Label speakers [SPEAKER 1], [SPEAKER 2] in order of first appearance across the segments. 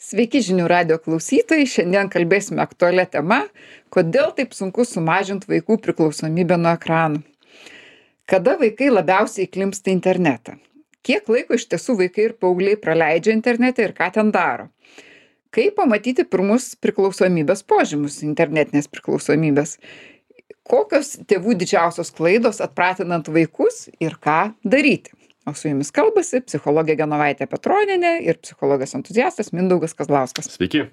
[SPEAKER 1] Sveiki žinių radijo klausytojai, šiandien kalbėsime aktualią temą, kodėl taip sunku sumažinti vaikų priklausomybę nuo ekranų. Kada vaikai labiausiai įklimpsta į internetą? Kiek laiko iš tiesų vaikai ir paaugliai praleidžia internete ir ką ten daro? Kaip pamatyti pirmus priklausomybės požymus internetinės priklausomybės? Kokios tėvų didžiausios klaidos atpratinant vaikus ir ką daryti? O su jumis kalbasi psichologė Genovaitė Petronienė ir psichologas entuziastas Mindaugas Kazlauskas.
[SPEAKER 2] Sveiki.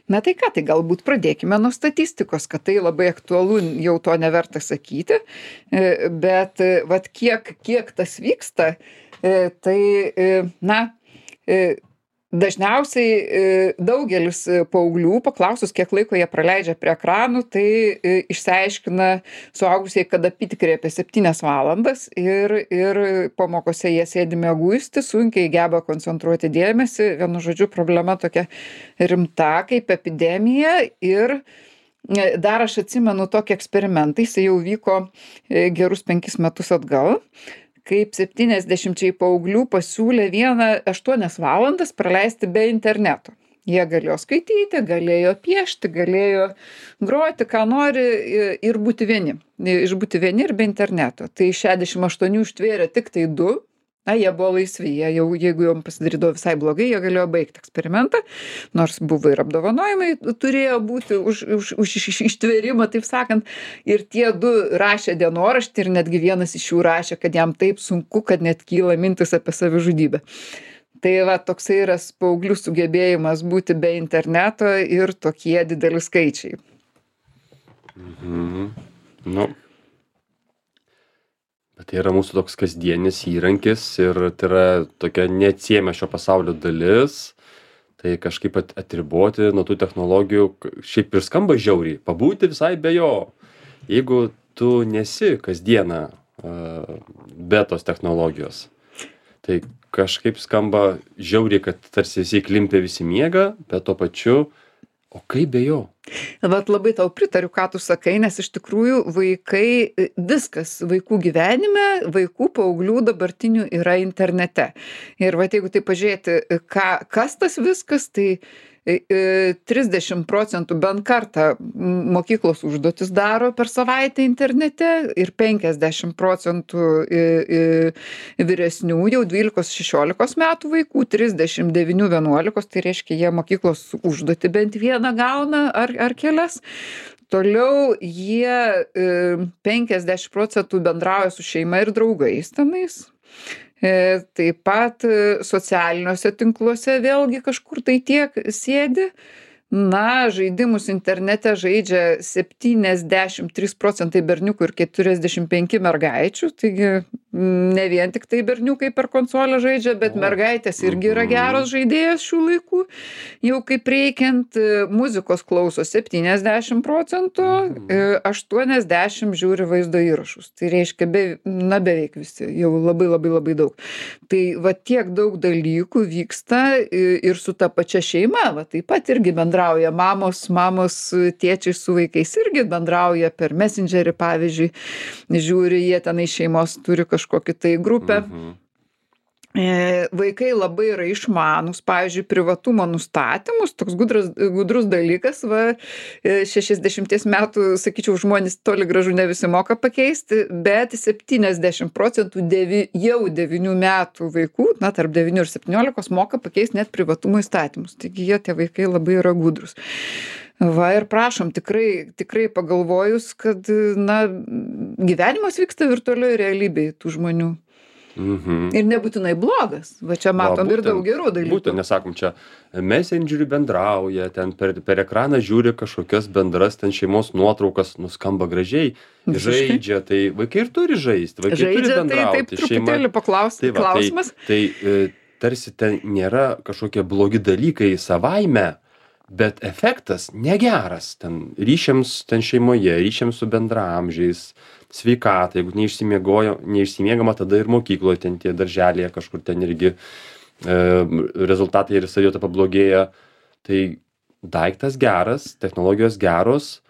[SPEAKER 1] Na tai ką, tai galbūt pradėkime nuo statistikos, kad tai labai aktualu, jau to neverta sakyti, bet vat kiek tas vyksta, tai na, dažniausiai daugelis paauglių, paklausus, kiek laiko jie praleidžia prie ekranų, tai išsiaiškina suaugusiai, kad apytikriai apie 7 valandas ir pamokose jie sėdi mieguisti, sunkiai geba koncentruoti dėmesį. Vienu žodžiu, problema tokia rimta kaip epidemija ir dar aš atsimenu tokį eksperimentą, jis jau vyko gerus 5 metus atgal, kaip 70 paauglių pasiūlė 8 valandas praleisti be interneto. Jie galėjo skaityti, galėjo piešti, galėjo groti, ką nori ir būti vieni. Išbūti vieni ir be interneto. Tai 68 užtvėrė tik tai 2. Jie buvo laisvi, jeigu jom pasidarydavo visai blogai, jie galėjo baigti eksperimentą, nors buvo ir apdovanojimai, turėjo būti už ištvėrimą, taip sakant, ir tie 2 rašė dienoraštį ir netgi vienas iš jų rašė, kad jam taip sunku, kad net kyla mintis apie savižudybę. Tai va, toksai yra paauglių sugebėjimas būti be interneto ir tokie dideli skaičiai.
[SPEAKER 2] Bet tai yra mūsų toks kasdienis įrankis ir tai yra tokia neatsiejama šio pasaulio dalis. Tai kažkaip atriboti nuo tų technologijų, šiaip ir skamba žiauriai, pabūti visai be jo. Jeigu tu nesi kasdieną be tos technologijos, tai kažkaip skamba žiauriai, kad tarsi visi įklimpę, visi miega, bet tuo pačiu, o kaip be jo?
[SPEAKER 1] Vat labai tau pritariu, ką tu sakai, nes iš tikrųjų vaikai, viskas vaikų gyvenime, vaikų paauglių dabartinių yra internete. Ir vat jeigu tai pažiūrėti, kas tas viskas, tai 30% bent kartą mokyklos užduotis daro per savaitę internete ir 50% vyresnių jau 12-16 metų vaikų, 39-11, tai reiškia jie mokyklos užduotį bent vieną gauna ar kelias. Toliau jie 50% bendrauja su šeima ir draugais tenais. Taip pat socialiniuose tinkluose vėlgi kažkur tai tiek sėdi. Na, žaidimus internete žaidžia 73% berniukų ir 45 mergaičių, taigi ne vien tik tai berniukai per konsolę žaidžia, bet mergaitės irgi yra geros žaidėjos šių laikų. Jau kaip reikiant, muzikos klauso 70%, 80% žiūri vaizdo įrašus. Tai reiškia beveik visi, jau labai daug. Tai va tiek daug dalykų vyksta ir su ta pačia šeima, va taip pat irgi bendrauja mamos, tėčiai su vaikais irgi bendrauja per Messengerį, pavyzdžiui, žiūri, jie tenai šeimos turi kažkokį tai grupę. Vaikai labai yra išmanus, pavyzdžiui, privatumo nustatymus, toks gudrus dalykas, 60 metų, sakyčiau, žmonės toli gražu ne visi moka pakeisti, bet 70% jau 9 metų vaikų, na, tarp 9 ir 17 moka pakeisti net privatumo įstatymus. Taigi jie, tie vaikai, labai yra gudrus. Va ir prašom, tikrai pagalvojus, kad, na, gyvenimas vyksta virtualioje realybėje tų žmonių. Ir nebūtinai blogas. Va čia matom ir daug gerų dalykų.
[SPEAKER 2] Būtent, nesakom, čia Messengeriu bendrauja, ten per ekraną žiūri kažkokias bendras ten šeimos nuotraukas, nuskamba gražiai, žaidžia, tai vaikai ir turi žaisti, vaikai turi bendrauti.
[SPEAKER 1] Tai taip truputėlį klausimas.
[SPEAKER 2] Tai tarsi ten nėra kažkokie blogi dalykai savaime, bet efektas negeras ten ryšiams ten šeimoje, ryšiams su bendraamžiais, sveikatą, jeigu neišsimiegama, tada ir mokykloje, ten tie darželėje kažkur ten irgi rezultatai ir savijauta pablogėja. Tai daiktas geras, technologijos geros,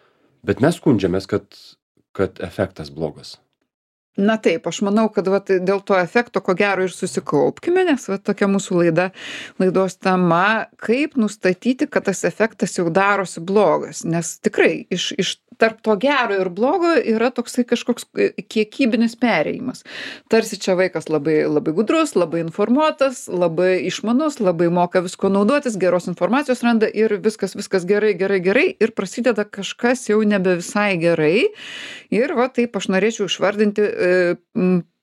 [SPEAKER 2] bet mes skundžiamės, kad efektas blogas.
[SPEAKER 1] Na taip, aš manau, kad vat dėl to efekto ko gero ir susikaupkime, nes va tokia mūsų laidos tema, kaip nustatyti, kad tas efektas jau darosi blogas. Nes tikrai iš tarp to gero ir blogo yra toksai kažkoks kiekybinis perėjimas. Tarsi čia vaikas labai, labai gudrus, labai informuotas, labai išmanus, labai moka visko naudotis, geros informacijos randa ir viskas gerai, gerai, gerai ir prasideda kažkas jau nebe visai gerai. Ir va taip aš norėčiau išvardinti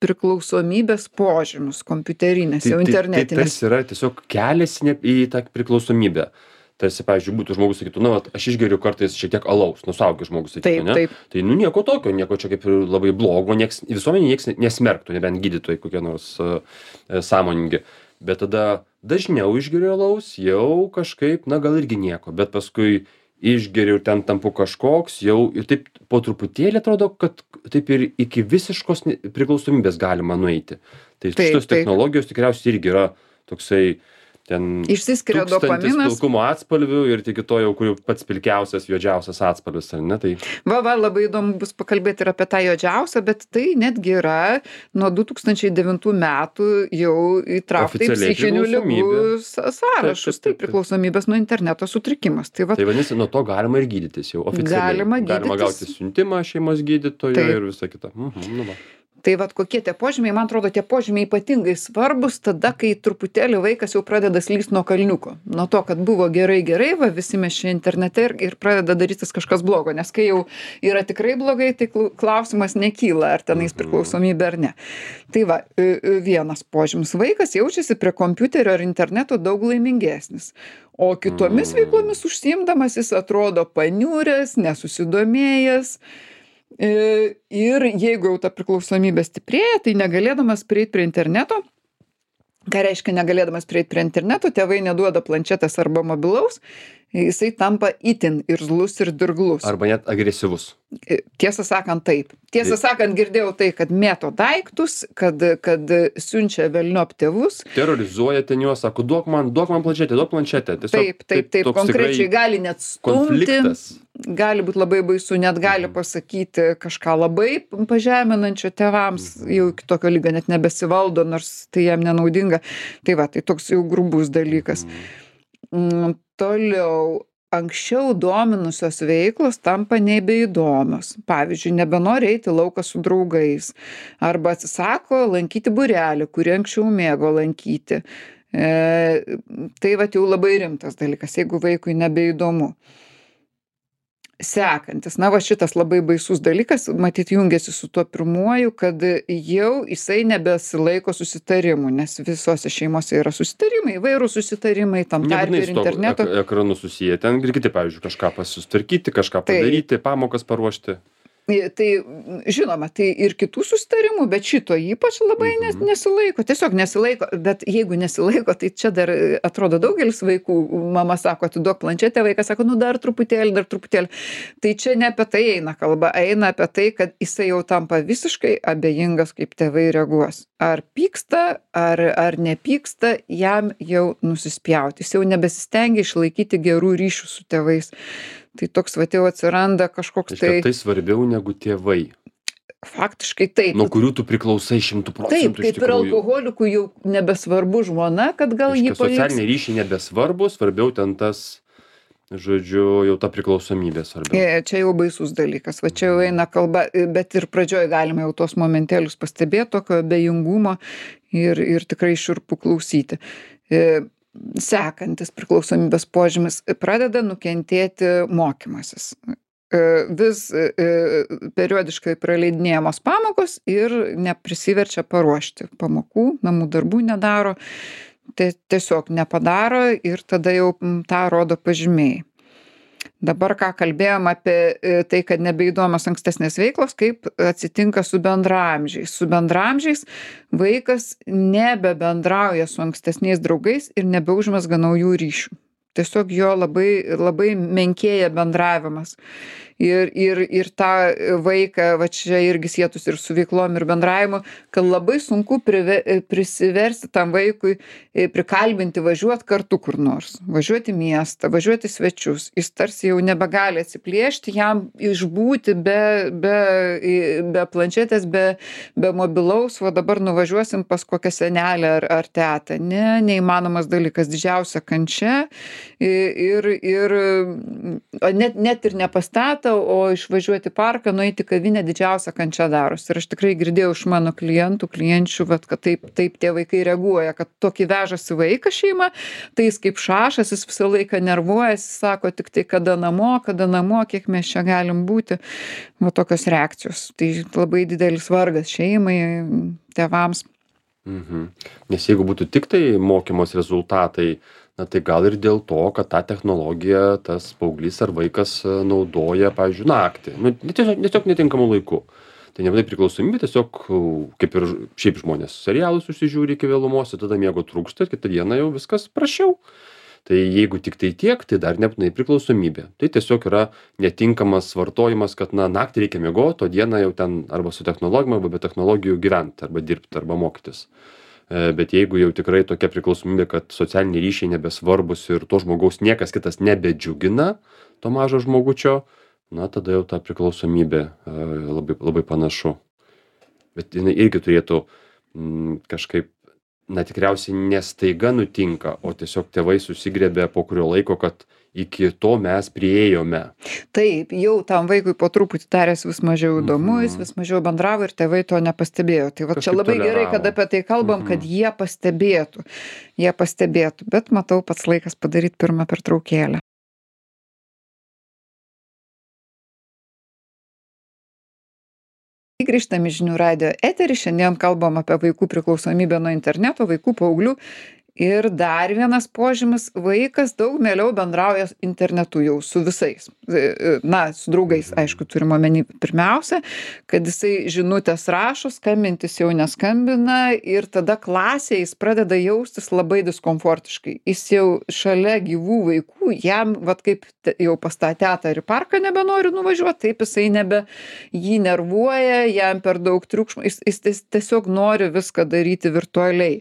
[SPEAKER 1] priklausomybės požymius kompiuterinės, jau internetinės.
[SPEAKER 2] Tai tarsi yra tiesiog kelias į tą priklausomybę. Tarsi, pavyzdžiui, būtų žmogus sakytų, na, aš išgeriu kartais šiek tiek alaus, suaugęs žmogus sakytų, ne?
[SPEAKER 1] Taip.
[SPEAKER 2] Tai, nieko tokio, nieko čia kaip ir labai blogo, visuomenė nieks nesmerktų, nebent gydytojai kokie nors sąmoningi. Bet tada dažniau išgeriu alaus, jau kažkaip, na, gal irgi nieko, bet paskui išgeriu ir ten tampu kažkoks, jau ir taip po truputėlį atrodo, kad taip ir iki visiškos priklausomybės galima nueiti. Tai šitos technologijos tikriausiai irgi yra toksai ten
[SPEAKER 1] išsiskiria dopaminas.
[SPEAKER 2] Pilkumo atspalvių ir iki to jau, kur pats pilkiausias, juodžiausias atspalvis, ar ne? Tai...
[SPEAKER 1] Va, labai įdomu bus pakalbėti ir apie tą juodžiausią, bet tai netgi yra nuo 2009 metų jau įtraukta į psichinių ligų sąrašus. Tai priklausomybės nuo interneto sutrikimas. Tai
[SPEAKER 2] vadinasi, nuo to galima ir gydytis jau oficialiai. Galima gauti siuntimą šeimos gydytojo ir visą kitą.
[SPEAKER 1] Tai vat kokie tie požymiai, man atrodo, tie požymiai ypatingai svarbus tada, kai truputėlį vaikas jau pradeda slyst nuo kalniuko. Nuo to, kad buvo gerai, va, visi mes čia internete ir pradeda darytis kažkas blogo. Nes kai jau yra tikrai blogai, tai klausimas nekyla, ar tenais priklausomybė ar ne. Tai va, vienas požymis, vaikas jaučiasi prie kompiuterio ar interneto daug laimingesnis. O kitomis veiklomis užsiimdamas jis atrodo paniuręs, nesusidomėjęs. Ir jeigu jau ta priklausomybė stiprėja, tai negalėdamas prieiti prie interneto, ką reiškia negalėdamas prieiti prie interneto, tėvai neduoda planšetės arba mobilaus, jisai tampa itin irzlus ir dirglus.
[SPEAKER 2] Arba net agresyvus.
[SPEAKER 1] Tiesą sakant, taip. Tiesą sakant, girdėjau tai, kad mėto daiktus, kad siunčia velniop tėvus.
[SPEAKER 2] Terorizuoja ten juos, sako, duok man planšetę.
[SPEAKER 1] Tiesiog, taip, konkrečiai gali net stumti. Konfliktas. Gali būti labai baisu, net gali pasakyti kažką labai pažeminančio tėvams, jau iki tokio lygio net nebesivaldo, nors tai jam nenaudinga. Tai va, tai toks jau grubus dalykas. Toliau, anksčiau dominusios veiklos tampa nebeįdomios. Pavyzdžiui, nebenori eiti lauką su draugais arba atsisako lankyti būrelį, kurį anksčiau mėgo lankyti. Tai va jau labai rimtas dalykas, jeigu vaikui nebeįdomu. Sekantis, na va šitas labai baisus dalykas, matyt jungiasi su tuo pirmuoju, kad jau jisai nebesilaiko susitarimų, nes visose šeimose yra susitarimai, įvairūs susitarimai, tam tarpe ir interneto.
[SPEAKER 2] Ekranu susiję, ten ir kiti, pavyzdžiui, kažką pasistvarkyti, kažką padaryti, pamokas paruošti.
[SPEAKER 1] Tai žinoma, tai ir kitų susitarimų, bet šito ypač labai nesilaiko, tiesiog nesilaiko, bet jeigu nesilaiko, tai čia dar atrodo daugelis vaikų, mama sako, atiduok planšetę, vaikas sako, dar truputėlį. Tai čia ne apie tai eina kalba, eina apie tai, kad jisai jau tampa visiškai abejingas, kaip tėvai reaguos. Ar pyksta, ar nepyksta, jam jau nusispjauti, jis jau nebesistengia išlaikyti gerų ryšių su tėvais. Tai toks va jau atsiranda kažkoks tai...
[SPEAKER 2] Tai svarbiau negu tėvai.
[SPEAKER 1] Faktiškai taip.
[SPEAKER 2] Nuo kurių tu priklausai 100%.
[SPEAKER 1] Taip, kaip ir alkoholikų jau nebesvarbu žmona, kad gal jį paliks.
[SPEAKER 2] Socialiniai ryšiai nebesvarbu, svarbiau ten tas, žodžiu, jau ta priklausomybė svarbiau.
[SPEAKER 1] Čia jau baisus dalykas, va čia jau eina kalba, bet ir pradžioj galime jau tos momentėlius pastebėti, tokio abejingumo ir tikrai šiurpu klausyti. Sekantis priklausomybės požymis pradeda nukentėti mokymasis. Vis periodiškai praleidinėjamos pamokos ir neprisiverčia paruošti pamokų, namų darbų nedaro, tiesiog nepadaro ir tada jau tą rodo pažymiai. Dabar ką kalbėjom apie tai, kad nebeįdomios ankstesnės veiklos, kaip atsitinka su bendraamžiais. Su bendraamžiais vaikas nebebendrauja su ankstesniais draugais ir nebeužmezga naujų ryšių. Tiesiog jo labai, labai menkėja bendravimas. ir tą vaiką, va čia irgi sėtųsi ir su veiklom, ir bendravimu, kad labai sunku prisiversti tam vaikui prikalbinti važiuoti kartu kur nors, važiuoti į miestą, važiuoti į svečius. Jis tarsi jau nebegali atsiplėšti, jam išbūti be planšetės, be mobilaus, va dabar nuvažiuosim pas kokią senelę ar tetą. Ne, neįmanomas dalykas, didžiausia kančia ir net ir nepastatą, o išvažiuoti į parką, nueiti į kavinę, didžiausia kančia darosi. Ir aš tikrai girdėjau iš mano klienčių, vat, kad taip tie vaikai reaguoja, kad tokį vežasi vaiką šeima, tai jis kaip šašas, jis visą laiką nervuojasi, sako tik tai kada namo, kiek mes čia galim būti. Va tokios reakcijos. Tai labai didelis vargas šeimai, tėvams.
[SPEAKER 2] Nes jeigu būtų tik tai mokymos rezultatai, na tai gal ir dėl to, kad tą technologiją tas paauglys ar vaikas naudoja, pavyzdžiui, naktį. Nu, tiesiog netinkamu laiku. Tai nebūtinai priklausomybė, tiesiog kaip ir šiaip žmonės serialus užsižiūri iki vėlumos, tada miego trūksta ir kitą dieną jau viskas prašiau. Tai jeigu tik tai tiek, tai dar nebūtinai priklausomybė. Tai tiesiog yra netinkamas vartojimas, kad naktį reikia miegoti, o dieną jau ten arba su technologijom, arba be technologijų gyventi, arba dirbti, arba mokytis. Bet jeigu jau tikrai tokia priklausomybė, kad socialiniai ryšiai nebesvarbus ir to žmogaus niekas kitas nebedžiugina, to mažo žmogučio, na tada jau ta priklausomybė labai, labai panašu. Bet jinai irgi turėtų kažkaip, na tikriausiai nestaiga nutinka, o tiesiog tėvai susigriebė po kurio laiko, kad iki to mes priėjome.
[SPEAKER 1] Taip, jau tam vaikui po truputį darėsi vis mažiau įdomu, jis vis mažiau bendravo ir tėvai to nepastebėjo. Tai va čia labai gerai, kad apie tai kalbam, kad jie pastebėtų. Bet matau, pats laikas padaryti pirmą pertraukėlę. Grįžtame į žinių radijo eterį, šiandien kalbam apie vaikų priklausomybę nuo interneto, vaikų, paauglių. Ir dar vienas požymis, vaikas daug mieliau bendrauja internetu jau su visais. Na, su draugais, aišku, turim omeny pirmiausia, kad jisai žinutės rašo, skambintis jau neskambina ir tada klasėje jis pradeda jaustis labai diskomfortiškai. Jis jau šalia gyvų vaikų, jam, vat kaip jau pas tą tetą ir į parką nebenori nuvažiuoti, taip jisai jį nervuoja, jam per daug triukšmo, jis tiesiog nori viską daryti virtualiai.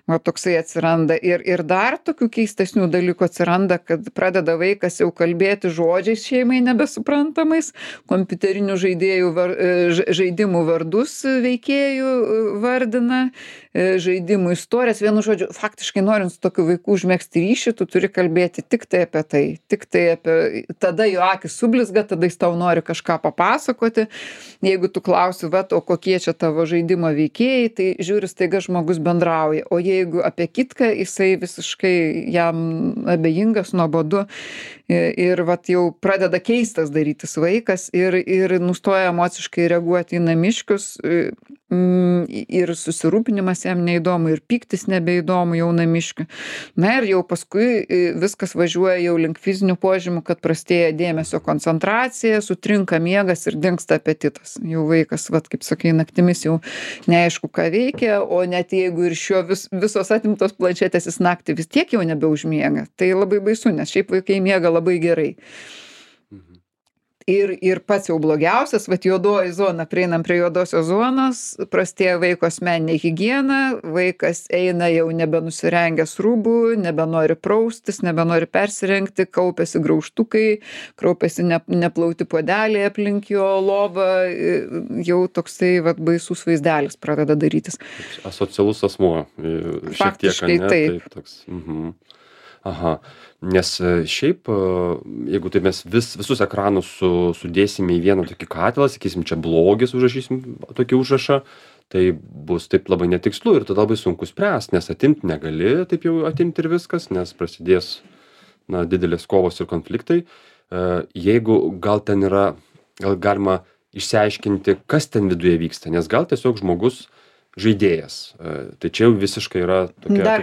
[SPEAKER 1] Va toksai atsiranda. Ir dar tokių keistesnių dalykų atsiranda, kad pradeda vaikas jau kalbėti žodžiais šeimai nebesuprantamais, kompiuterinių žaidimų vardus veikėjų vardina, žaidimų istorijas. Vienu žodžiu, faktiškai norint su tokiu vaiku užmegzti ryšį, tu turi kalbėti tik tai apie tai. Tada jo akis sublizga, tada jis tau nori kažką papasakoti. Jeigu tu klausi, o kokie čia tavo žaidimo veikėjai, tai žiūri, staiga žmogus bendrauja. O jeigu apie kitką, jisai visiškai jam abejingas, nuobodu ir jau pradeda keistas darytis vaikas ir nustoja emociškai reaguoti į namiškius ir susirūpinimas jam neįdomu ir pyktis nebeįdomu jau namiškių. Na ir jau paskui viskas važiuoja jau link fizinių požymių, kad prastėja dėmesio koncentracija, sutrinka miegas ir dingsta apetitas. Jau vaikas, kaip sakai, naktimis jau neaišku, ką veikia, o net jeigu ir visos atimtos planšetės jis naktį vis tiek jau nebeužmiega. Tai labai baisu, nes šiaip vaikai miega labai gerai. Ir pats jau blogiausias, juodoji zona, prieinam prie juodosios zonos, prastėja vaiko asmeninė higiena, vaikas eina jau nebenusirengęs rūbų, nebenori praustis, nebenori persirengti, kaupiasi graužtukai, kaupiasi neplauti puodeliai aplink jo lovą, jau toksai baisus vaizdelis pradeda darytis.
[SPEAKER 2] Asocialus asmuo.
[SPEAKER 1] Faktiškai taip.
[SPEAKER 2] Toks, Aha, nes šiaip, jeigu tai mes visus ekranus sudėsime į vieną tokį katilą, sakysim, čia blogis, užrašysim tokį užrašą, tai bus taip labai netikslu ir tada labai sunku spręsti, nes atimti negali, taip jau atimti ir viskas, nes prasidės didelės kovos ir konfliktai. Jeigu gal galima išsiaiškinti, kas ten viduje vyksta, nes gal tiesiog žmogus žaidėjas. Tai čia jau visiškai yra tokia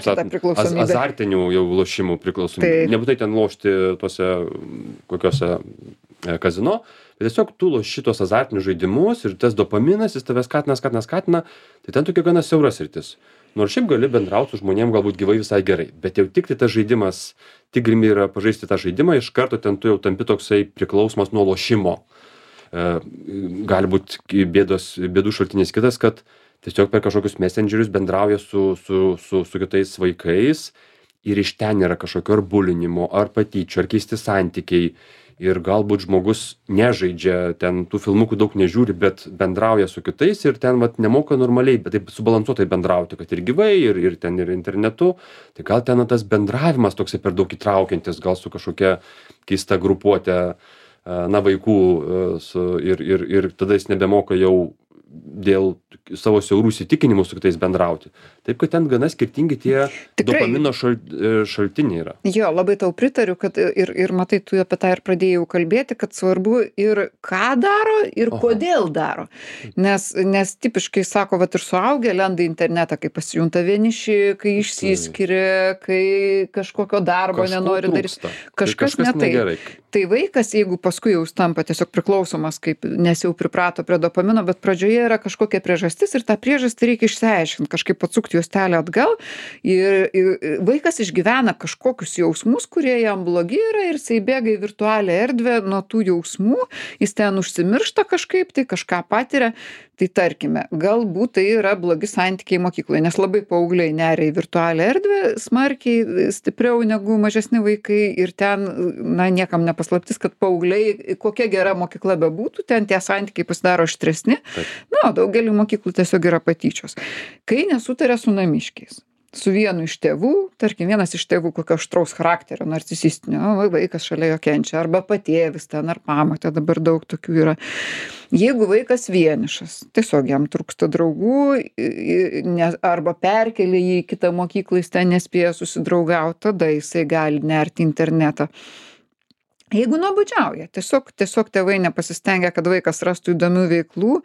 [SPEAKER 2] azartinių jau lošimų priklausomybė. Nebūtinai ten lošti tuose kokiuose kazino, bet tiesiog tu loši tos azartinius žaidimus ir tas dopaminas, jis tave skatina, tai ten tokia gana siauras sritis. Nors šiaip gali bendrauti su žmonėm galbūt gyvai visai gerai, bet jau tik tai tas žaidimas, tik galimybė yra pažaisti tą žaidimą, iš karto ten tu jau tampi toksai priklausomas nuo lošimo. gali būt bėdų šaltinis kitas, kad tiesiog per kažkokius mesendžerius bendrauja su kitais vaikais ir iš ten yra kažkokio ar bulinimo, ar patyčių, ar keisti santykiai. Ir galbūt žmogus nežaidžia, ten tų filmukų daug nežiūri, bet bendrauja su kitais ir ten vat nemoka normaliai, bet taip subalansuotai bendrauti, kad ir gyvai, ir ten ir internetu. Tai gal ten tas bendravimas toksai per daug įtraukiantis, gal su kažkokia keista grupuotė, vaikų, ir tada jis nebemoka jau dėl savo siaurų įsitikinimų su kitais bendrauti. Taip, kad ten gana skirtingi tie
[SPEAKER 1] Tikrai.
[SPEAKER 2] dopamino šaltiniai yra.
[SPEAKER 1] Jo, labai tau pritariu, kad ir matai, tu apie tą ir pradėjau kalbėti, kad svarbu ir ką daro, ir kodėl daro. Nes tipiškai sako, vat ir suaugę lenda į internetą, kai pasijunta vieniši, kai išsiskiria, kai kažkokio darbo nenori daryti. Kažkas ne taip.
[SPEAKER 2] negerai.
[SPEAKER 1] Tai vaikas, jeigu paskui jau tampa tiesiog priklausomas, nes jau priprato prie dopamino, bet pradžioje yra kažkokia priežastis ir tą priežastį reikia išsiaiškinti, kažkaip atsukti juostelę atgal ir vaikas išgyvena kažkokius jausmus, kurie jam blogi yra ir jisai bėga į virtualią erdvę nuo tų jausmų, jis ten užsimiršta kažkaip, tai kažką patiria. Tai tarkime, galbūt tai yra blogi santykiai mokykloje, nes labai paaugliai neria į virtualią erdvę smarkiai stipriau negu mažesni vaikai ir ten, niekam nepaslaptis, kad paaugliai, kokia gera mokykla bebūtų, ten tie santykiai pasidaro aštresni. Daugelį mokyklų tiesiog yra patyčios. Kai nesutaria su namiškiais, su vienu iš tėvų, tarkim, vienas iš tėvų kokio aštraus charakterio, narcisistinio, vaikas šalia jo kenčia, arba patėvis ten, ar pamotė, dabar daug tokių yra. Jeigu vaikas vienišas, tiesiog jam trūksta draugų, arba perkelia jį į kitą mokyklą, jis ten nespėja susidraugauti, tada jisai gali nerti internetą. Jeigu nuobodžiauja, tiesiog tėvai nepasistengia, kad vaikas rastų įdomių veiklų,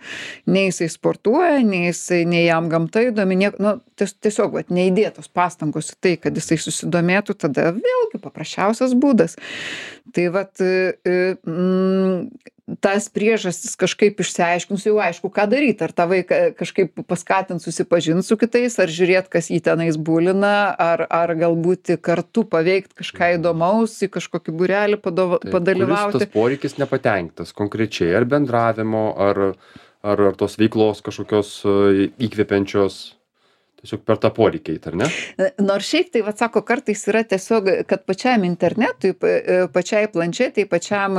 [SPEAKER 1] nei jisai sportuoja, nei jam gamta įdomi, tiesiog neįdėtos pastangos į tai, kad jisai susidomėtų, tada vėlgi paprasčiausias būdas. Tai tas priežastis kažkaip išsiaiškinus, jau aišku, ką daryti, ar tą vaiką kažkaip paskatinti susipažinti su kitais, ar žiūrėti, kas jį tenais bulina, ar galbūt kartu paveikti kažką įdomaus, į kažkokį būrelį padalyvauti.
[SPEAKER 2] Kuris tas poreikis nepatenkintas konkrečiai, ar bendravimo, ar tos veiklos kažkokios įkvepiančios. Tiesiog per tą poreikį, ar ne?
[SPEAKER 1] Nors šiaip tai, sako, kartais yra tiesiog, kad pačiam internetui, pačiai planšetei, pačiam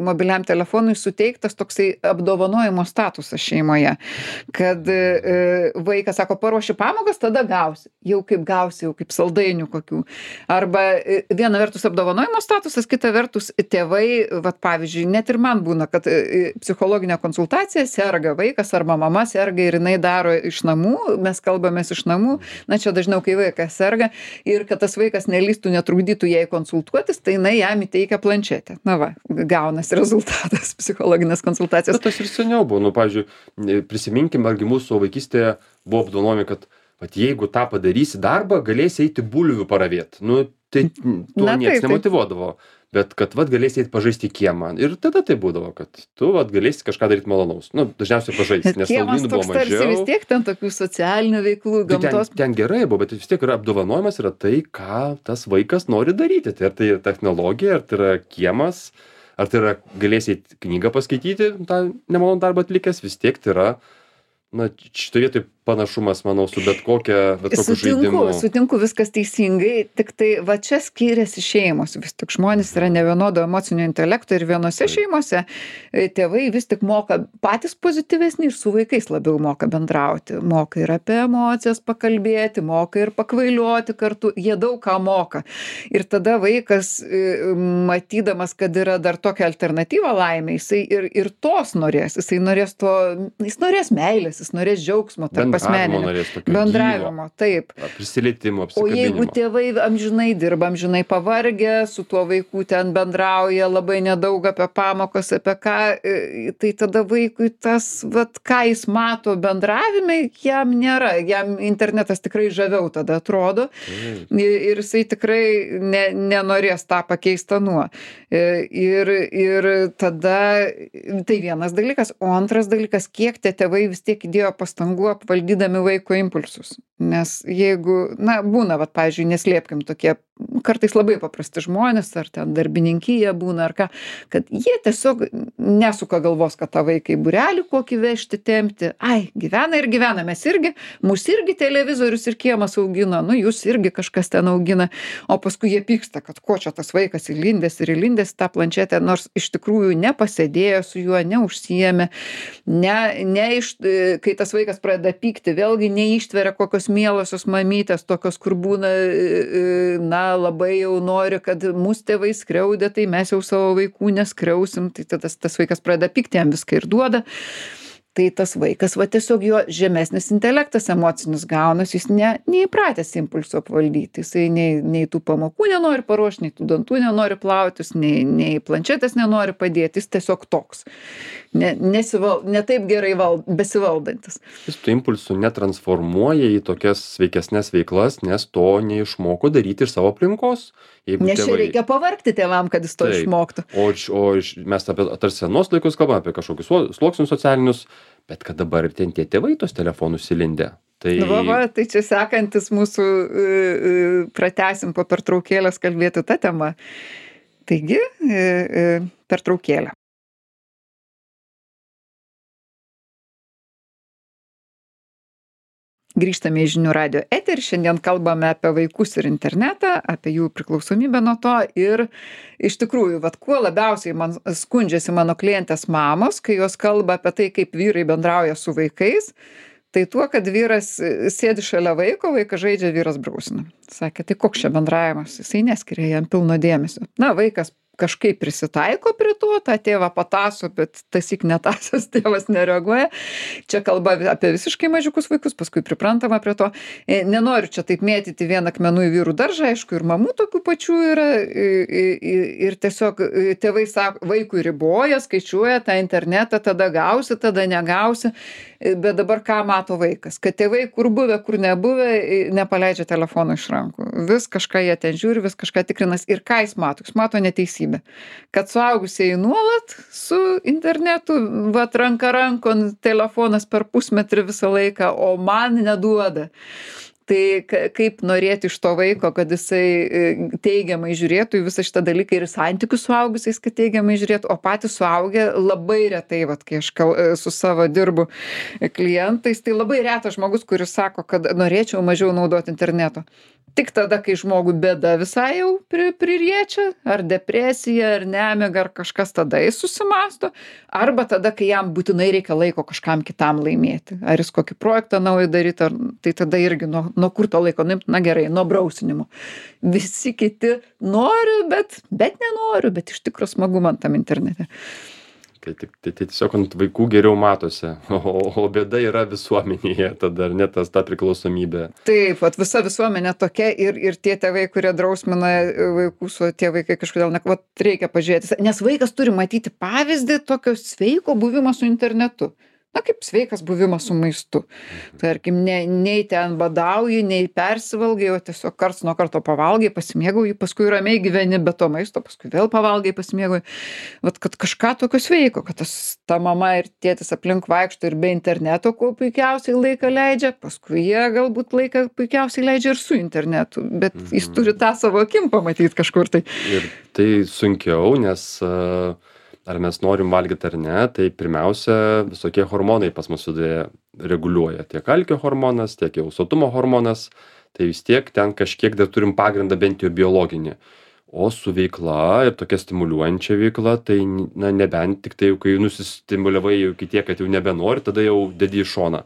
[SPEAKER 1] mobiliam telefonui suteiktas toksai apdovanojimo statusas šeimoje. Kad vaikas sako, paruoši pamokas, tada gausi. Jau kaip saldainių kokių. Arba viena vertus apdovanojimo statusas, kita vertus tėvai, pavyzdžiui, net ir man būna, kad psichologinė konsultacija, serga vaikas arba mama serga ir jinai daro iš namų, mes kalbame iš namų, čia dažniau, kai vaikas serga, ir kad tas vaikas nelįstų, netrukdytų jai konsultuotis, tai jinai jam įteikia planšetę. Gaunasi rezultatas psichologinės konsultacijos.
[SPEAKER 2] Bet tas ir seniau buvo, pavyzdžiui, prisiminkim, argi mūsų vaikystėje buvo apdovanojami, kad jeigu tą padarysi darbą, galėsi eiti bulvių paravėt. Tai tuo nieks nemotyvuodavo. Bet kad galėsi eiti pažaisti į kiemą. Ir tada tai būdavo, kad tu galėsi kažką daryti malonaus. Dažniausiai pažaisti, nes saldumynų buvo mažiau.
[SPEAKER 1] Tarsi vis tiek ten tokių socialinių veiklų, gamtos.
[SPEAKER 2] Ten gerai buvo, bet vis tiek yra apdovanojimas, yra tai, ką tas vaikas nori daryti. Tai ar tai yra technologija, ar tai yra kiemas, ar tai yra galėsi knygą paskaityti, tą nemalonų darbą atlikęs, vis tiek tai yra, šitoje vietoje panašumas, manau, su bet kokiu žaidimu.
[SPEAKER 1] Sutinku, viskas teisingai, tik tai čia skiriasi šeimos. Vis tik žmonės yra nevienodo emocinio intelekto ir vienose šeimose tėvai vis tik moka patys pozityvesni ir su vaikais labiau moka bendrauti. Moka ir apie emocijas pakalbėti, moka ir pakvailioti kartu. Jie daug ką moka. Ir tada vaikas, matydamas, kad yra dar tokia alternatyva laimė, jisai ir tos norės. Jisai norės meilės, jis norės džiaugsmo tarp bendravimo, taip.
[SPEAKER 2] Prisilietimo,
[SPEAKER 1] o jeigu tėvai amžinai dirba, amžinai pavargę, su tuo vaiku ten bendrauja labai nedaug apie pamokas, apie ką, tai tada vaikui tas, ką jis mato bendravime, jam nėra, jam internetas tikrai žaviau tada atrodo ir jisai tikrai nenorės tą pakeisti nuo. Ir tada tai vienas dalykas, o antras dalykas, kiek tie tėvai vis tiek įdėjo pastangų apvalyti valdydami vaiko impulsus. Nes jeigu, na, būna, vat, pavyzdžiui, neslėpkim tokie kartais labai paprasti žmonės, ar ten darbininkija būna, ar ką, kad jie tiesiog nesuka galvos, kad tą vaiką į būrelį kokį vežti, tempti. Ai, gyvena ir gyvena, mes irgi, mūsų irgi televizorius ir kiemas augino, nu jūs irgi kažkas ten augina, o paskui jie pyksta, kad ko čia tas vaikas įlindęs ir įlindęs į tą planšetę, nors iš tikrųjų nepasėdėjo su juo, neužsiėmė, kai tas vaikas pradeda pykti, vėlgi neištveria kokios mielosios mamytės, tokios, kur būna, na, labai jau nori, kad mus tėvai skriaudė, tai mes jau savo vaikų neskriausim, tai tada tas vaikas pradeda pykti, jam viską ir duoda. Tai tas vaikas, va tiesiog jo žemesnis intelektas emocinis gaunas, jis neįpratęs impulsų apvaldyti, jisai nei tų pamokų nenori paruošti, nei tų dantų nenori plautis, nei planšetės nenori padėti, jis tiesiog toks, ne taip gerai besivaldantis.
[SPEAKER 2] Jis tų impulsų netransformuoja į tokias sveikesnės veiklas, nes to neišmoko daryti iš savo aplinkos.
[SPEAKER 1] Nes čia reikia pavargti tėvam, kad jis to išmoktų.
[SPEAKER 2] Mes apie tarsi senos laikus kalbame, apie kažkokius sluoksnius socialinius, bet kad dabar ir ten tie tėvai tos telefonus įlindę. Tai...
[SPEAKER 1] Tai čia sekantis mūsų pratęsim po pertraukėlės kalbėti tą temą. Taigi, pertraukėlė. Grįžtame į Žinių radijo eterį, šiandien kalbame apie vaikus ir internetą, apie jų priklausomybę nuo to ir iš tikrųjų, vat, kuo labiausiai man skundžiasi mano klientės mamos, kai jos kalba apie tai, kaip vyrai bendrauja su vaikais, tai tuo, kad vyras sėdi šalia vaiko, vaikas žaidžia, vyras brausina. Sakė, tai koks čia bendravimas, jisai neskiria jam pilno dėmesio. Na, vaikas kažkaip prisitaiko prie to, tą tėvą pataso, bet tasyk netasas tėvas nereaguoja. Čia kalba apie visiškai mažiukus vaikus, paskui priprantama prie to. Nenoriu čia taip mėtyti vien akmenų į vyrų daržą, aišku, ir mamų tokių pačių yra. Ir tiesiog tėvai sako, vaikui riboja, skaičiuoja tą internetą, tada gausi, tada negausi. Bet dabar ką mato vaikas? Kad tėvai kur buvę, kur nebuvę, nepaleidžia telefono iš rankų. Vis kažką jie ten žiūri, vis kažką tikrinas. Ir ką jis mato? Jis mato neteisybę. Kad suaugusieji nuolat su internetu, vat ranka rankon, telefonas per pusmetrį visą laiką, o man neduoda. Tai kaip norėti iš to vaiko, kad jisai teigiamai žiūrėtų į visą šitą dalyką ir santykius suaugusiais, kad teigiamai žiūrėtų, o patys suaugę labai retai, vat, kai aš su savo dirbu klientais, tai labai retas žmogus, kuris sako, kad norėčiau mažiau naudoti interneto. Tik tada, kai žmogui bėda visai jau pririečia, ar depresija, ar nemiga, ar kažkas, tada jis susimąsto, arba tada, kai jam būtinai reikia laiko kažkam kitam laimėti, ar jis kokį projektą naują daryti, tai tada irgi nuo kur to laiko nuimti, na gerai, nuo brausinimo. Visi kiti noriu, bet nenoriu, bet iš tikrųjų smagu man tam internete.
[SPEAKER 2] Tai tiesiog ant vaikų geriau matosi, o bėda yra visuomenėje, tada ar ne ta priklausomybė.
[SPEAKER 1] Taip, vat visa visuomenė tokia ir tie tėvai, kurie drausmina vaikus, o tie vaikai kažkodėl reikia pažiūrėti. Nes vaikas turi matyti pavyzdį tokio sveiko buvimo su internetu. Na, kaip sveikas buvimas su maistu. Tarkim, nei ten badauji, nei persivalgai, o tiesiog karts nuo karto pavalgai, pasimėgauji, paskui ramiai gyveni be to maisto, paskui vėl pavalgai, pasimėgauji. Vat, kad kažką tokio sveiko, kad ta mama ir tėtis aplink vaikšto ir be interneto, kuo puikiausiai laiką leidžia, paskui jie galbūt laiką puikiausiai leidžia ir su internetu, bet jis turi tą savo akim pamatyti kažkur tai.
[SPEAKER 2] Ir tai sunkiau, nes... Ar mes norim valgyti ar ne, tai pirmiausia, visokie hormonai pas mus viduje reguliuoja. Tiek alkio hormonas, tiek jau sotumo hormonas, tai vis tiek ten kažkiek dar turim pagrindą bent jau biologinį. O su veikla ir tokia stimuliuojančia veikla, tai na, nebent tik tai jau, kai nusistimuliavai jau iki tiek, kad jau nebenori, tada jau dedi į šoną.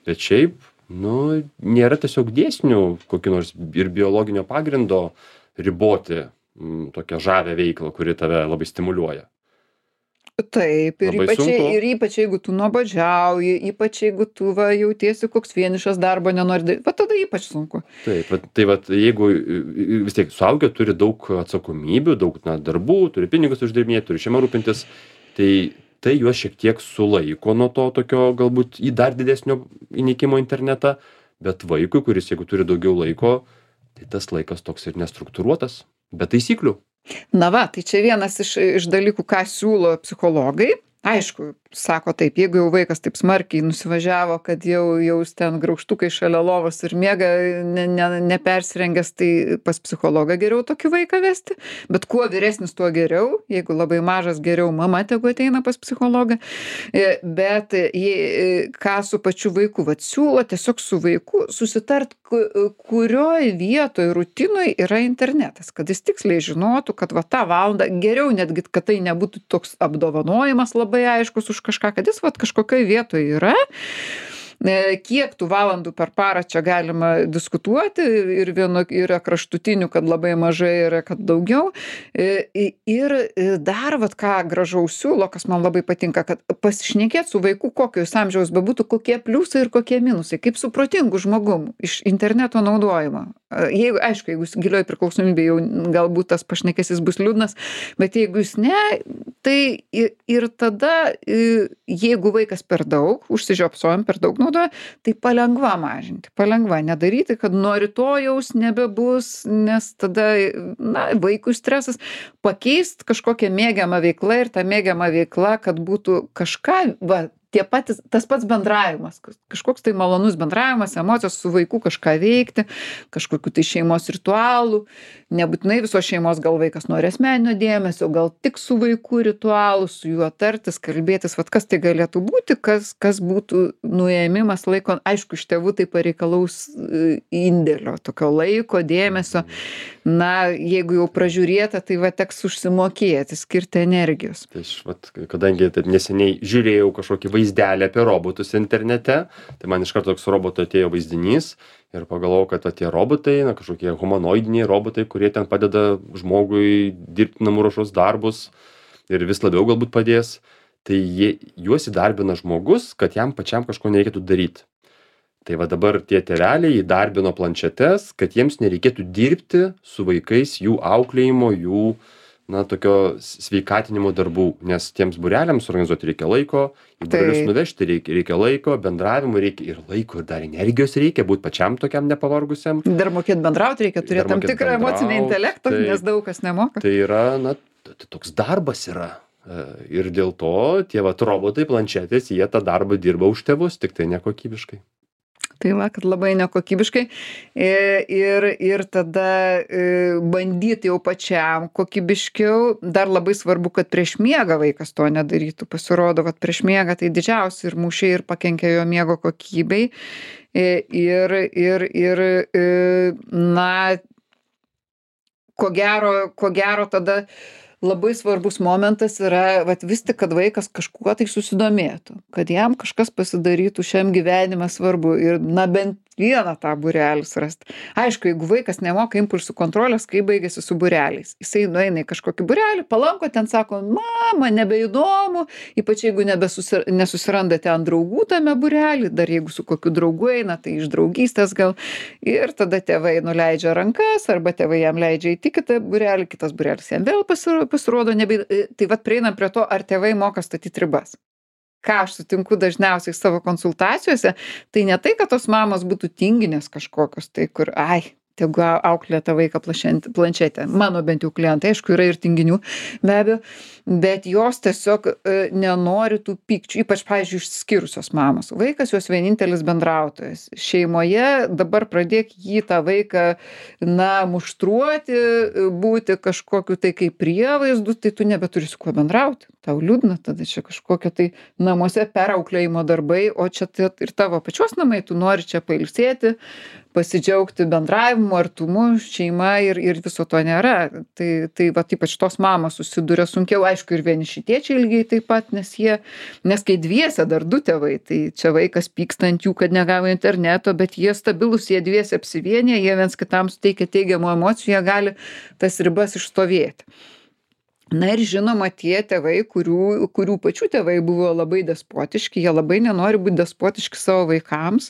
[SPEAKER 2] Bet šiaip, nėra tiesiog dėsnių kokį nors ir biologinio pagrindo riboti tokią žavę veiklą, kuri tave labai stimuliuoja.
[SPEAKER 1] Taip, ir ypač jeigu tu nuobodžiauji, ypač jeigu tu jautiesi koks vienišas, darbo nenori daryti, tada ypač sunku.
[SPEAKER 2] Taip, tai jeigu vis tiek suaugę turi daug atsakomybių, daug darbų, turi pinigus uždirbinėti, turi šeimą rūpintis, tai juos šiek tiek sulaiko nuo to tokio galbūt į dar didesnio įnikimo internetą, bet vaikui, kuris jeigu turi daugiau laiko, tai tas laikas toks ir nestruktūruotas, be taisyklių.
[SPEAKER 1] Na va, tai čia vienas iš dalykų, ką siūlo psichologai, Aišku, sako taip, jeigu jau vaikas taip smarkiai nusivažiavo, kad jau jis ten graužtukai šalia lovos ir miega nepersirengęs, tai pas psichologą geriau tokį vaiką vesti. Bet kuo vyresnis, tuo geriau. Jeigu labai mažas, geriau mama tegu ateina pas psichologą. Bet ką su pačiu vaiku? Vat siūlo tiesiog su vaiku susitart, kurioj vietoj rutinoj yra internetas, kad jis tiksliai žinotų, kad va tą valandą, geriau netgi, kad tai nebūtų toks apdovanojimas labai aiškus už kažką, kad jis vat kažkokioj vietoj yra. Kiek tų valandų per parą čia galima diskutuoti ir yra kraštutinių, kad labai mažai yra, kad daugiau. Ir dar vat ką gražaus siūlo, kas man labai patinka, kad pasišnekėt su vaiku, kokio jis amžiaus bebūtų, kokie pliusai ir kokie minusai, kaip su protingu žmogum iš interneto naudojimo. Jeigu, aišku, jeigu jis gilioj priklausomybė, jau galbūt tas pašnekesis bus liūdnas, bet jeigu jis ne, tai ir tada, jeigu vaikas per daug, užsižiopsojam, per daug naudoja, tai palengva mažinti, palengva nedaryti, kad nuo rytojaus nebebus, nes tada, na, vaikui stresas, pakeist kažkokią mėgiamą veiklą ir ta mėgiama veikla, kad būtų kažką, va, tas pats bendravimas, kažkoks tai malonus bendravimas, emocijos su vaiku kažką veikti, kažkokiu tai šeimos ritualų, nebūtinai visos šeimos, gal vaikas nori asmeninio dėmesio, gal tik su vaiku ritualų, su juo tartis, kalbėtis, vat kas tai galėtų būti, kas būtų nuėmimas laiko, aišku, iš tėvų tai pareikalaus indėlio, tokio laiko, dėmesio, na, jeigu jau pražiūrėta, tai va teks užsimokėti, skirti energijos.
[SPEAKER 2] Tai aš, vat, kadangi taip neseniai žiūrėjau kažkokį vaizdelį apie robotus internete, tai man iš karto toks roboto atėjo vaizdinys ir pagalvojau, kad tie robotai, na, kažkokie humanoidiniai robotai, kurie ten padeda žmogui dirbti namų ruošos darbus ir vis labiau galbūt padės, tai juos įdarbina žmogus, kad jam pačiam kažko nereikėtų daryti. Tai va dabar tie tėveliai įdarbino planšetes, kad jiems nereikėtų dirbti su vaikais jų auklėjimo, jų, na, tokio sveikatinimo darbų, nes tiems būreliams organizuoti reikia laiko, į būrelius nuvežti reikia laiko, bendravimo reikia ir laiko, ir dar energijos reikia, būti pačiam tokiam nepavargusiam.
[SPEAKER 1] Dar mokėti bendrauti reikia, turėti tam tikrą emocinį intelektą, nes daug kas nemoka.
[SPEAKER 2] Tai yra, na, toks darbas yra. Ir dėl to tie vat robotai, planšetės, jie tą darbą dirba už tėvus, tik tai nekokybiškai.
[SPEAKER 1] Tai va, kad labai nekokybiškai ir tada bandyti jau pačiam kokybiškiau. Dar labai svarbu, kad prieš miegą vaikas to nedarytų. Pasirodo, kad prieš miegą tai didžiausi ir mūšiai ir pakenkia jo miego kokybei. Na, ko gero tada labai svarbus momentas yra, vat vis tik, kad vaikas kažkuo tai susidomėtų, kad jam kažkas pasidarytų šiam gyvenime svarbu ir, na, bent vieną tą būrelį surasti. Aišku, jeigu vaikas nemoka impulsų kontrolės, kai baigėsi su būreliais. Jisai nueina į kažkokį būrelį, palanko, ten sako, mama, nebeįdomu, ypač jeigu nesusiranda ten draugų tame būrelį, dar jeigu su kokiu draugu eina, tai iš draugystės gal. Ir tada tėvai nuleidžia rankas, arba tėvai jam leidžia įti kitą būrelį, kitas būrelis jam vėl pasirodo tai vat prieinam prie to, ar tėvai moka statyti ribas. Ką aš sutinku dažniausiai savo konsultacijose, tai ne tai, kad tos mamos būtų tinginės kažkokios, tai kur, tegu auklė tą vaiką planšetę. Mano bent jau klientai, aišku, yra ir tinginių, be abejo, bet jos tiesiog nenori tų pykčių, ypač, pavyzdžiui, išskyrusios mamos. Vaikas jos vienintelis bendrautojas. Šeimoje dabar pradėk jį tą vaiką, na, muštruoti, būti kažkokiu tai kaip prievaizdu, tai tu nebeturi su kuo bendrauti. Tau liūdna, tada čia kažkokia tai namuose perauklėjimo darbai, o čia ir tavo pačios namai, tu nori čia pailsėti, pasidžiaugti bendravimu, artumu, šeima ir viso to nėra. Tai va, ypač tos mamos susiduria sunkiau, aišku, ir vieniši tėčiai ilgiai taip pat, nes kai dviese dar du tėvai, tai čia vaikas pyksta ant jų, kad negavo interneto, bet jie stabilus, jie dviese apsivienė, jie viens kitam suteikia teigiamų emocijų, jie gali tas ribas išstovėti. Na ir žinoma, tie tėvai, kurių pačių tėvai buvo labai despotiški, jie labai nenori būti despotiški savo vaikams,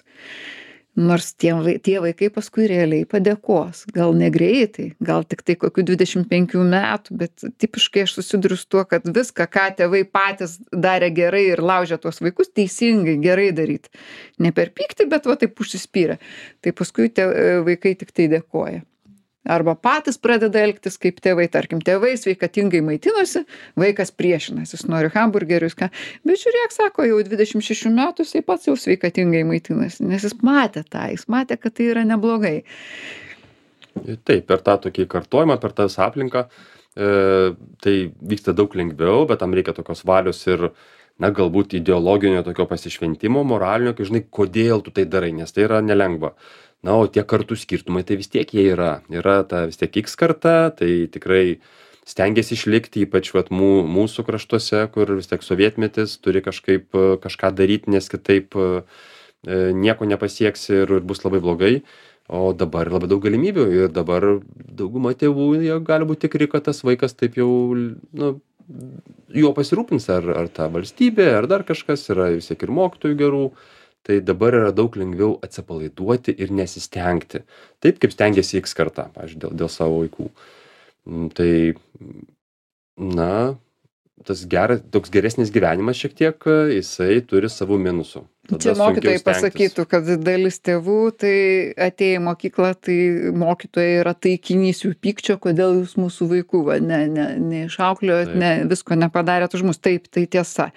[SPEAKER 1] nors tie vaikai paskui realiai padėkos. Gal negreitai, gal tik tai kokių 25 metų, bet tipiškai aš susiduriu su tuo, kad viską, ką tėvai patys darė gerai ir laužė tuos vaikus, teisingai, gerai daryti. Ne per pyktį, bet va taip užsispyrę. Tai paskui tie vaikai tik tai dėkoja. Arba patys pradeda elgtis kaip tėvai. Tarkim, tėvai sveikatingai maitinosi, vaikas priešinasi, jis nori hamburgerius, ką. Bet žiūrėk, sako, jau 26 metų jisai pats jau sveikatingai maitinasi, nes jis matė tą, jis matė, kad tai yra neblogai.
[SPEAKER 2] Taip, per tą tokį kartojimą, per tas aplinką, tai vyksta daug lengviau, bet tam reikia tokios valios ir, na, galbūt ideologinio tokio pasišventimo, moralinio, kai žinai, kodėl tu tai darai, nes tai yra nelengva. Na, o tie kartų skirtumai, tai vis tiek jie yra. Yra ta vis tiek X karta, tai tikrai stengiasi išlikti, ypač vat, mūsų kraštuose, kur vis tiek sovietmetis turi kažkaip kažką daryti, nes kitaip nieko nepasieksi ir bus labai blogai. O dabar labai daug galimybių ir dabar dauguma tėvų, jie gali būti tikri, kad tas vaikas taip jau, nu, juo pasirūpins, ar ta valstybė, ar dar kažkas, yra vis tiek ir mokytojų gerų. Tai dabar yra daug lengviau atsipalaiduoti ir nesistengti. Taip, kaip stengiasi X karta, pavyzdžiui, dėl savo vaikų. Tai, na, tas toks geresnis gyvenimas šiek tiek, jisai turi savų minusų.
[SPEAKER 1] Čia mokytojai pasakytų, kad dalis tėvų, tai atėję į mokyklą, tai mokytojai yra taikinys jų pykčio, kodėl jūs mūsų vaikų neišauklėjot, visko nepadarėt už mus. Taip, tai tiesa.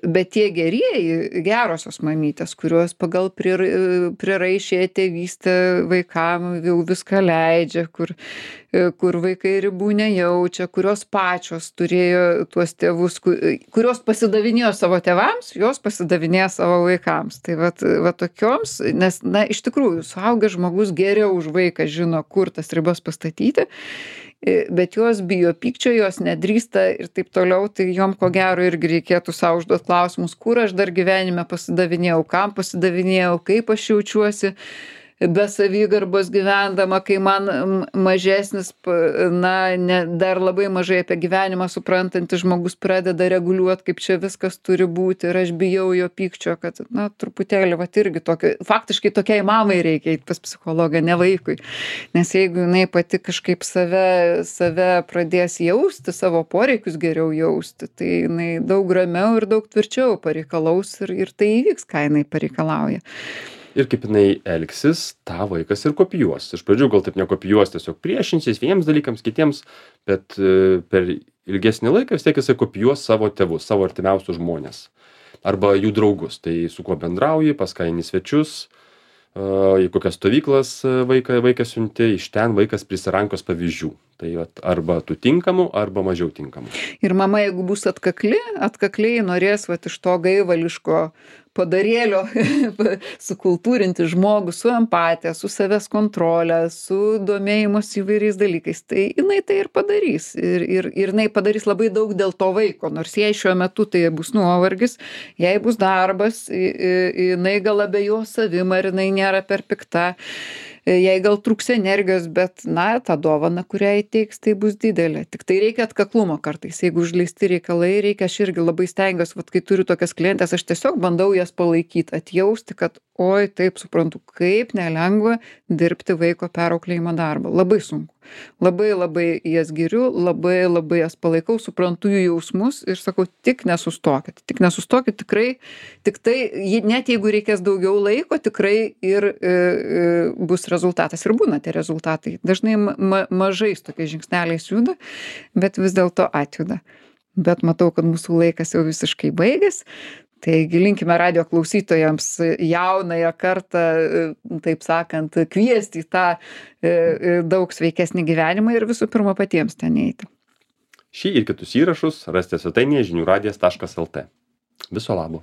[SPEAKER 1] Bet tie gerieji, gerosios mamytės, kurios pagal priraišė tėvystę vaikam jau viską leidžia, kur vaikai ribų nejaučia, kurios pačios turėjo tuos tėvus, kurios pasidavinėjo savo tėvams, jos pasidavinėjo savo vaikams. Tai va tokioms, nes, na, iš tikrųjų, suaugęs žmogus geriau už vaiką žino, kur tas ribas pastatyti, bet jos bijo pykčio, jos nedrįsta ir taip toliau, tai jom ko gero irgi reikėtų savo užduoti klausimus, kur aš dar gyvenime pasidavinėjau, kam pasidavinėjau, kaip aš jaučiuosi be savigarbos gyvendama, kai man mažesnis, dar labai mažai apie gyvenimą suprantantis žmogus pradeda reguliuoti, kaip čia viskas turi būti ir aš bijau jo pykčio, kad, na, truputėlį, irgi tokio, faktiškai tokiai mamai reikia eiti pas psichologą, ne vaikui. Nes jeigu jinai pati kažkaip save pradės jausti, savo poreikius geriau jausti, tai jinai daug ramiau ir daug tvirčiau pareikalaus ir tai įvyks, ką jinai pareikalauja.
[SPEAKER 2] Ir kaip jinai elgsis, tą vaikas ir kopijuos. Iš pradžių gal taip nekopijuos, tiesiog priešinsis vieniems dalykams, kitiems, bet per ilgesnį laiką vis tiek jisai kopijuos savo tėvus, savo artimiausius žmonės. Arba jų draugus. Tai su kuo bendrauji, pas ką eini svečius, į kokias stovyklas vaiką siunti, iš ten vaikas prisirankos pavyzdžių. Tai arba tų tinkamų, arba mažiau tinkamų.
[SPEAKER 1] Ir mama, jeigu bus atkakliai norės iš to gaivališko padarėlio sukultūrinti žmogų su empatija, su savęs kontrolė, su domėjimus įvairiais dalykais, tai jinai tai ir padarys. Ir jinai padarys labai daug dėl to vaiko, nors jai šiuo metu tai bus nuovargis, jai bus darbas, jinai gal abejos savim, ar jinai nėra per pikta, jai gal trūks energijos, bet, na, ta dovana, kurią įteiks, tai bus didelė. Tik tai reikia atkaklumo kartais. Jeigu užleisti reikalai, aš irgi labai stengiuosi, kai turiu tokias klientės, aš tiesiog bandau jas palaikyti, atjausti, kad, oi, taip suprantu, kaip nelengva dirbti vaiko perauklėjimo darbą. Labai sunku. Labai jas giriu, labai jas palaikau, suprantu jų jausmus ir sakau, tik nesustokit tikrai, tik tai, net jeigu reikės daugiau laiko, tikrai ir bus rezultatas ir būna tie rezultatai. Dažnai mažais tokiais žingsneliais juda, bet vis dėlto atjuda. Bet matau, kad mūsų laikas jau visiškai baigės. Taigi linkime radijo klausytojams jaunąją kartą, taip sakant, kviesti į tą daug sveikesnį gyvenimą ir visų pirma patiems ten eiti.
[SPEAKER 2] Šį ir kitus įrašus rasite svetainėje žiniųradijas.lt. Viso labo.